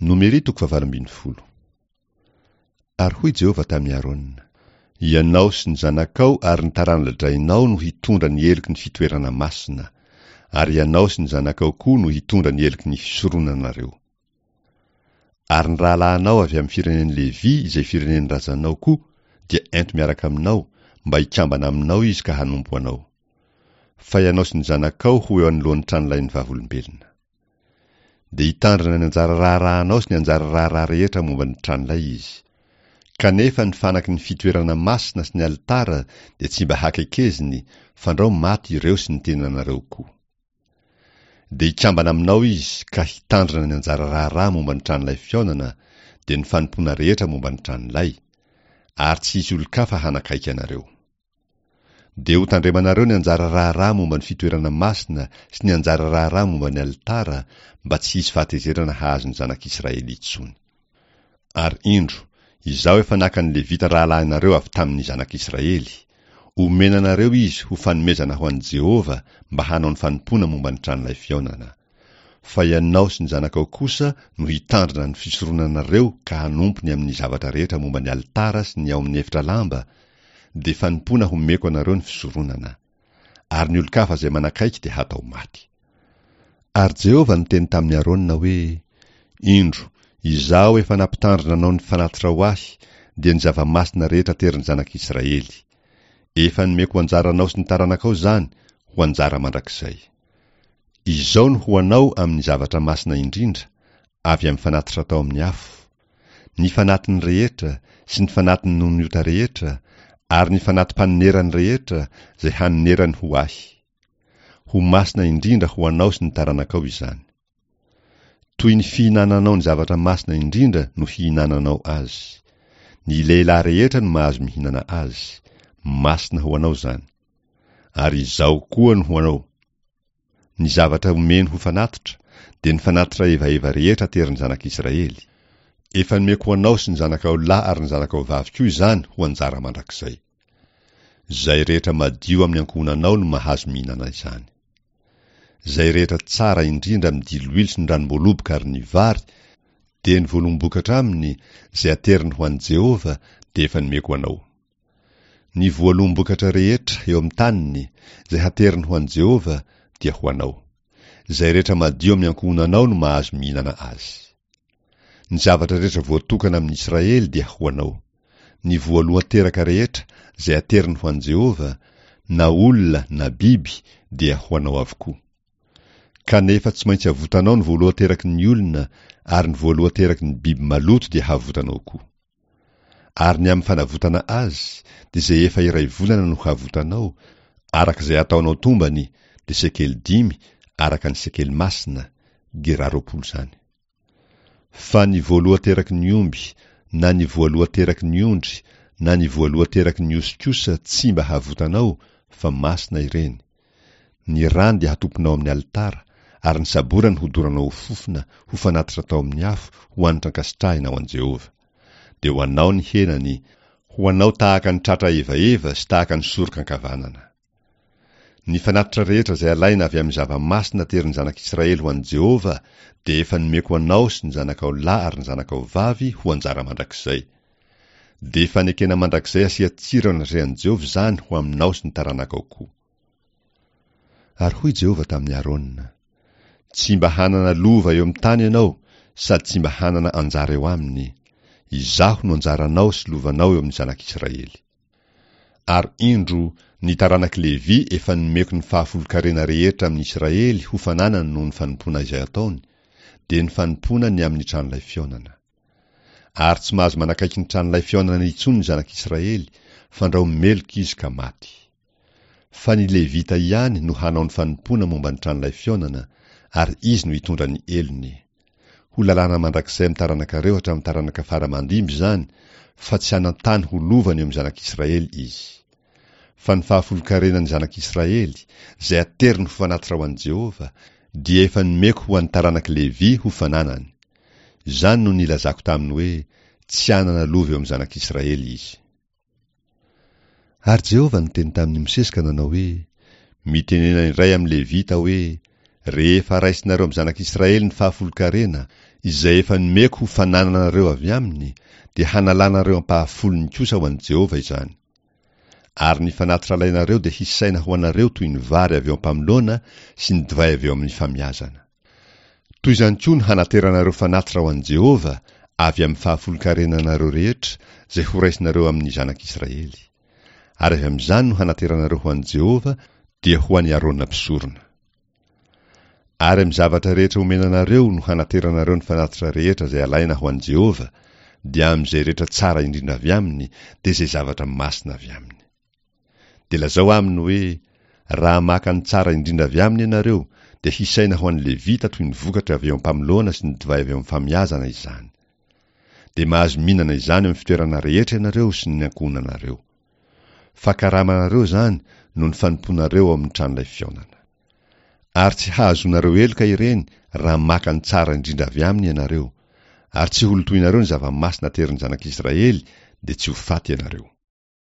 Nomery toko fahavalo ambin'ny folo. Ary hoy Jehovah tamin'i Arona, Ianao sy ny zanakao ary ny tarana-drainao no hitondra ny heloky ny fitoerana masina, ary ianao sy ny zanakao koa no hitondra ny heloky ny fisoronanareo. Ary ny rahalahinao avy amin'ny firenen'i Levy izay firenen'ny razanao koa dia ento miaraka aminao, mba hikambana aminao izy ka hanompo anao. Fa ianao sy ny zanakao ho eo anoloan'ny tranolain'ny vavolombelona. Dia hitandrina ny anjara raharahanao sy ny anjara raharaha rehetra momba ny tranolay izy. Kanefa ny fanaky ny fitoerana masina sy ny alitara dia tsy mba hakekeziny, fandrao maty ireo sy ny tenanareo koa. Dia hikambana aminao izy ka hitandrina ny anjara raharaha momba ny tranolay fihaonana, dia ny fanompoana rehetra momba ny tranolay, ary tsy hisy olon-kafa hanakaiky anareo. Dia hotandremanareo ny anjara raharaha momba ny fitoerana masina sy ny anjara raharaha momba ny alitara, mba tsy hisy fahatezerana hahazo ny zanak'Israely intsony. Ary indro, Izaho efa naka ny Levita rahalahinareo avy tamin'ny zanak'Israely. Omena anareo izy ho fanomezana ho an'i Jehovah mba hanao ny fanompoana momba ny tranolay fihaonana. Fa ianao sy ny zanakao kosa no hitandrina ny fisoronanareo ka hanompo ny amin'ny zavatra rehetra momba ny alitara sy ny ao amin'ny efitra lamba, dia fanompoana homeko anareo ny fisoronana. Ary ny olon-kafa izay manakaiky dia hatao maty. Ary Jehovah niteny tamin'i Arona hoe, Indro, Izaho efa nampitandrina anao ny fanatitra ho Ahy, dia ny zava-masina rehetra aterin'ny zanak'Israely. Efa nomeko ho anjaranao sy ny taranakao izany, ho anjara mandrakizay. Izao no ho anao amin'ny zavatra masina indrindra, avy amin'ny fanatitra atao amin'ny afo, ny fanatiny rehetra sy ny fanatiny noho ny ota rehetra ary ny fanati-panonerany rehetra izay hanonerany ho Ahy. Ho masina indrindra ho anao sy ny taranakao izany. Toy ny fihinananao ny zavatra masina indrindra no hihinananao azy. Ny lehilahy rehetra no mahazo mihinana azy. Masina ho anao izany. Ary Izaho koa no ho anao. Ny zavatra omeny ho fanatitra, dia ny fanatitra hevaheva rehetra aterin'ny zanak'Israely. Efa nomeko ho anao sy ny zanakao lahy ary ny zanakao vavy koa izany ho anjara mandrakizay. Izay rehetra madio amin'ny ankohonanao no mahazo mihinana izany. Izay rehetra tsara indrindra amin'ny diloilo sy ny ranom-boaloboka ary ny vary, dia ny voaloham-bokatra aminy, izay ateriny ho an'i Jehovah, dia efa nomeko anao. Ny voaloham-bokatra rehetra eo amin'ny taniny, izay hateriny ho an'i Jehovah, dia ho anao. Izay rehetra madio amin'ny ankohonanao no mahazo mihinana azy. Ny zavatra rehetra voatokana amin'ny Israely dia ho anao. Ny voalohan-teraka rehetra izay ateriny ho an'i Jehovah, na olona na biby, dia ho anao avokoa. Kanefa tsy maintsy avotanao ny voalohan-teraky ny olona, ary ny voalohan-teraky ny biby maloto dia havotanao koa. Ary ny amin'ny fanavotana azy, dia izay efa iray volana no havotanao, araka izay ataonao tombany, dia sekely dimy, araka ny sekely masina, gerà 20 izany. Fa ny voalohan-teraky ny omby, na ny voalohan-teraky ny ondry, na ny voalohan-teraky ny osy kosa tsy mba havotanao, fa masina ireny. Ny rany dia hatopinao amin'ny alitara, ary ny saborany hodoranao ho fofona, ho fanatitra atao amin'ny afo, ho hanitra ankasitrahina ho an'i Jehovah. Dia ho anao ny henany, ho anao tahaka ny tratra evaheva sy tahaka ny soroka ankavanana. Ny fanatitra rehetra izay alaina avy amin'ny zava-masina aterin'ny zanak'Israely ho an'i Jehovah dia efa nomeko anao sy ny zanakao lahy ary ny zanakao vavy ho anjara mandrakizay. Dia fanekena mandrakizay asian-tsira eo anatrehan'i Jehovah izany ho aminao sy ny taranakao koa. Ary hoy Jehovah tamin'i Arona, Tsy mba hanana lova eo amin'ny tany ianao, sady tsy mba hanana anjara eo aminy. Izaho no anjaranao sy lovanao eo amin'ny zanak'Israely. Ary indro, ny taranak'i Levy efa nomeko ny fahafolon-karena rehetra amin'ny Israely ho fananany noho ny fanompoana izay ataony, dia ny fanompoana ny amin'ny tranolay fihaonana. Ary tsy mahazo manakaiky ny tranolay fihaonana intsony ny zanak'Israely, fandrao meloka izy ka maty. Fa ny Levita ihany no hanao ny fanompoana momba ny tranolay fihaonana, ary izy no hitondra ny helony. Ho lalàna mandrakizay amin'ny taranakareo hatramin'ny taranaka fara aman-dimby izany, fa tsy hanan-tany ho lovany eo amin'ny zanak'Israely izy. Fa ny fahafolon-karenan'ny zanak'Israely, izay ateriny ho fanatitra ho an'i Jehovah, dia efa nomeko ho an'ny taranak'i Levy ho fananany. Izany no nilazako taminy hoe, Tsy hanana lova eo amin'ny zanak'Israely izy. Ary Jehovah niteny tamin'i Mosesy ka nanao hoe, Mitenena indray amin'ny Levita hoe, Rehefa raisinareo amin'ny zanak'Israely ny fahafolon-karena, izay efa nomeko ho fanananareo avy aminy, dia hanalanareo ampahafolony kosa ho an'i Jehovah izany. Ary ny fanatitra alainareo dia hisaina ho anareo toy ny vary avy eo am-pamoloana sy ny divay avy eo amin'ny famiazana. Toy izany koa no hanateranareo fanatitra ho an'i Jehovah avy amin'ny fahafolon-karenanareo rehetra izay horaisinareo amin'ny zanak'Israely. Ary avy amin'izany no hanateranareo ho an'i Jehovah, dia ho an'i Arona mpisorona. Ary amin'ny zavatra rehetra omena anareo no hanateranareo ny fanatitra rehetra izay alaina ho an'i Jehovah, dia amin'izay rehetra tsara indrindra avy aminy, dia izay zavatra masina avy aminy. Dia lazao aminy hoe, Raha maka ny tsara indrindra avy aminy ianareo, dia hisaina ho an'ny Levita toy ny vokatra avy eo am-pamoloana sy ny divay avy eo amin'ny famiazana izany. Dia mahazo mihinana izany eo amin'ny fitoerana rehetra ianareo sy ny ankohonanareo. Fa karamanareo izany noho ny fanompoanareo ao amin'ny tranolay fihaonana. Ary tsy hahazoanareo heloka ireny raha maka ny tsara indrindra avy aminy ianareo, ary tsy holotoinareo ny zava-masina aterin'ny zanak'Israely, dia tsy ho faty ianareo.